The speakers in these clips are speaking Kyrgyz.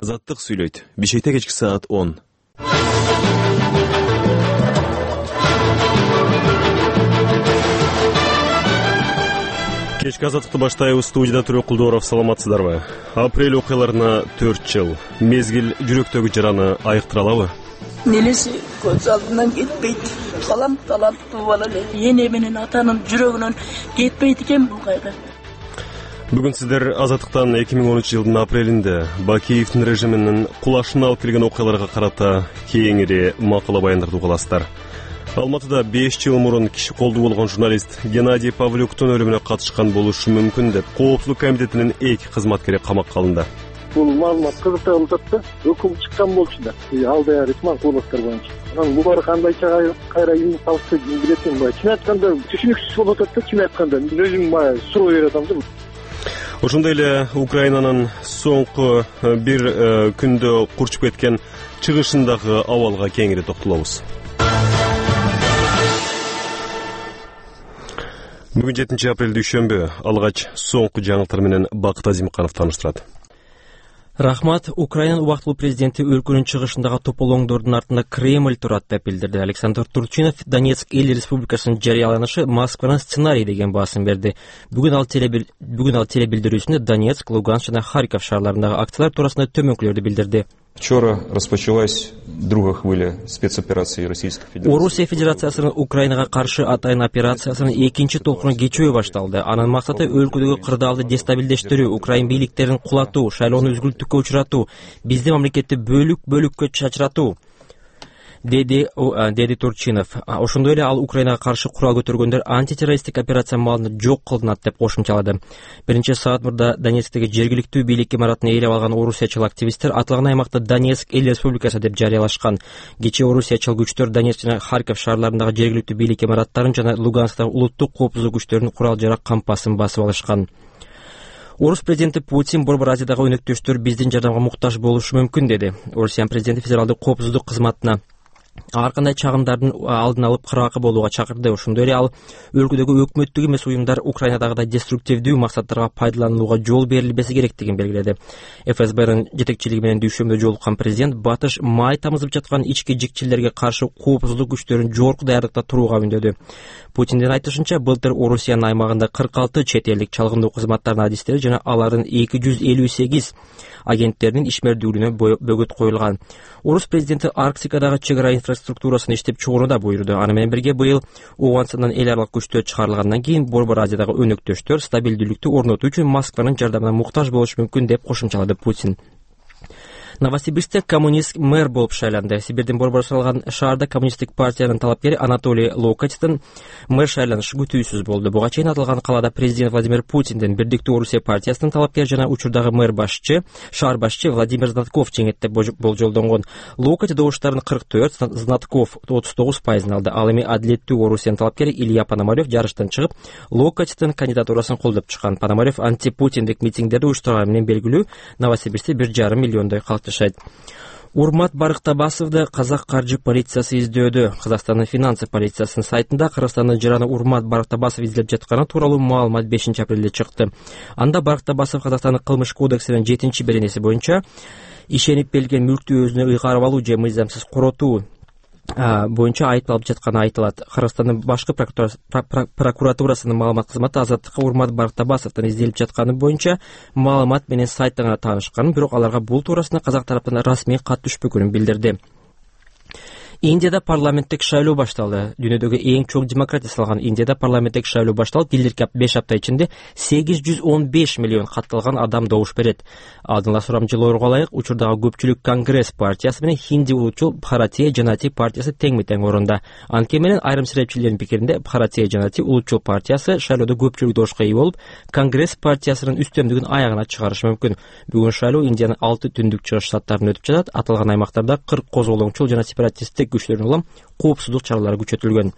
Азаттык сүйлөйт. Бишкекте кечки саат 10. Кечки азаттыкты баштайбыз. Студияда Түрөк Кулдоров. Саламатсыздарбы? Апрель окуяларына 4 жыл. Мезгил жүрөктөгү жараны айыктыра алабы? Нелеси көз алдынан кетпейт. Таланттуу бала эле. Эне менен атанын жүрөгүнөн кетпейт экен бул кайгы. Бүгүн сиздер Азаттыктан 2013 жылдын апрелинде Бакиевдин режиминин кулашына алып келген окуяларга карата кеңири макала баяндарды угуласыздар. Алматыда 5 жыл мурун киши колдуу болгон журналист Геннадий Павлюктун өлүмүнө катышкан болушу мүмкүн деп Коопсуздук комитетинин 2 кызматкери камакка алынды. Бул маалымат кызыктырып атат да, өкүм чыккан болчу да. Алда ресман кулактар боюнча. Анан булар кандайча кайра эмне салса билет экен. Чын айтканда түшүнүксүз болуп атат да, чын айтканда. Мен өзүм суроо берип атам да. Ошондой эле Украинанын соңку бир күндө курчуп кеткен чыгышындагы абалга кеңири токтолобуз. Бүгүн 7 апрель дүйшөмбү. Алгач соңку жаңылыктар менен Бакыт Азимканов тааныштырат. Рахмат. Украинанын убактылуу президенти өлкөнүн чыгышындагы тополоңдордун артында Кремль турат деп билдирди. Александр Турчинов Донецк эл республикасынын жарыяланышы Москванын сценарий деген баасын берди. Бүгүн ал телебилдирүүсүндө Донецк, Луганск жана Харьков шаарларындагы акциялар туурасында төмөнкүлөрдү билдирди. Вчера распочалась другая хвиля спецоперации Российской Федерации. Орусия Федерациясынын Украинага каршы атайын операциясынын экинчи толкуну кечөө башталды. Анын максаты өлкөдөгү кырдаалды дестабилдештирүү, Украин бийликтерин кулатуу, шайлоону үзгүлтүккө учуратуу, биздин мамлекетти бөлүккө чачыратуу, деди Турчинов. Ошондой эле ал Украинага каршы курал көтөргөндөр антитеррористтик операция маалында жок кылынат деп кошумчалады. Биринчи саат мурда Донецктеги жергиликтүү бийлик имаратын ээлеп алган орусиячыл активисттер аталган аймакта Донецк эл республикасы деп жарыялашкан. Кечээ орусиячыл күчтөр Донецк жана Харьков шаарларындагы жергиликтүү бийлик имараттарын жана Луганскдагы улуттук коопсуздук күчтөрүнүн курал-жарак кампасын басып алышкан. Орус президенти Путин Борбор Азиядагы өнөктөштөр биздин жардамга муктаж болушу мүмкүн деди. Орусиянын президенти федералдык коопсуздук кызматына ар кандай чагымдардын алдын алып кыргакы болууга чакырды. Ошондой эле ал өлкөдөгү өкмөттүк эмес уюмдар Украинадагыдай деструктивдүү максаттарга пайдаланууга жол берилбеси керектигин белгиледи. ФСБнын жетекчилиги менен дүйшөмбүдө жолуккан президент батыш май тамызып жаткан ички жикчилерге каршы коопсуздук күчтөрүн жогорку даярдыкта турууга үндөдү. Путиндин айтышынча, былтыр Орусиянын аймагында 46 чет элдик чалгындоо кызматтарынын адистери жана алардын 258 агенттеринин ишмердүүлүгүнө бөгөт коюлган. Орус президенти Арктикадагы чек ара инфраструктурасын иштеп чыгууну да буйруду. Аны менен бирге быйыл Ооганстандан эл аралык күчтөр чыгарылгандан кийин Борбор Азиядагы өнөктөштөр стабилдүүлүктү орнотуу үчүн Москванын жардамына муктаж болушу мүмкүн деп кошумчалады Путин. Новосибирскте коммунист мэр болуп шайланды. Сибирдин борбор салган шаарда коммунисттик партиянын талапкери Анатолий Локотин мэр шайланышы күтүүсүз болду. Буга чейин аталган калаада президент Владимир Путиндин Бирдиктүү Орусия партиясынын талапкери жана учурдагы мэр шаар башчы Владимир Знатков жеңет деп болжолдонгон. Локотин добуштарын 44, Знатков 39% алды. Ал эми Адилеттүү Орусиянын талапкери Илья Пономарев жарыштан чыгып, Локотиндин кандидатурасын колдоп чыккан. Пономарев антипутиндик митингдерди уюштурганы менен белгилүү. Новосибирскте 1,5 миллиондой калкчы. Урмат Барыктабасовду казак каржы полициясы издөөдө. Казакстандын финансы полициясынын сайтында Кыргызстандын жараны Урмат Барыктабасов изилеп жатканы тууралуу маалымат 5 апрелде чыкты. Анда Барыктабасов Казакстандын кылмыш кодексинин 7-беренеси боюнча ишенип берилген мүлктү өзүнө ыйгарып алуу же мыйзамсыз коротуу боюнча айыпталып жатканы айтылат. Кыргызстандын башкы прокуратурасынын маалымат кызматы Азаттыкка Урмат Барыктабасовдун изделип жатканы боюнча маалымат менен сайттан гана таанышканын, бирок аларга бул туурасында казак тараптан расмий кат түшпөгөнүн билдирди. Индияда парламенттик шайлоо башталды. Дүйнөдөгү эң чоң демократия салган Индияда парламенттик шайлоо башталып, келирки 5 апта ичинде 815 миллион катталган адам добуш берет. Алдын сурамчылоорго ылайык, учурдагы көпчүлүк Конгресс партиясы менен Хинди улутчул Бхаратия Жанати партиясы тең-тең орунда. Анткени менен айрым серепчилердин пикиринде Бхаратия Жанати улутчул партиясы шайлоодо көпчүлүк добушка ээ болуп, Конгресс партиясынын үстөмдүгүн аягына чыгарышы мүмкүн. Бүгүн шайлоо Индиянын 6 түндүк чыгыш штаттарында өтүп жатат. Аталган аймактарда 40 козголоңчул жана сепаратисттик күчтөрүн улам коопсуздук чаралары күчөтүлгөн.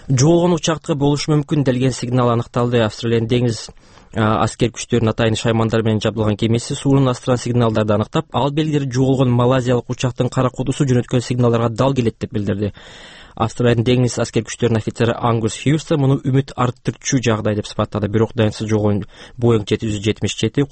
Жоолгон учакта болушу мүмкүн делген сигнал аныкталды. Австралиянын деңиз аскер күчтөрүнүн атайын шаймандар менен жабдылган кемеси суунун астынан сигналдарды аныктап, ал белгилери жоолгон малайзиялык учактын кара кутусу жөнөткөн сигналдарга дал келет деп билдирди. Австралиянын деңиз аскер күчтөрүнүн офицери Ангус Хьюстон муну үмүт арттырчу жагдай деп сыпаттады. Бирок даянсыз жоолгон Boeing 777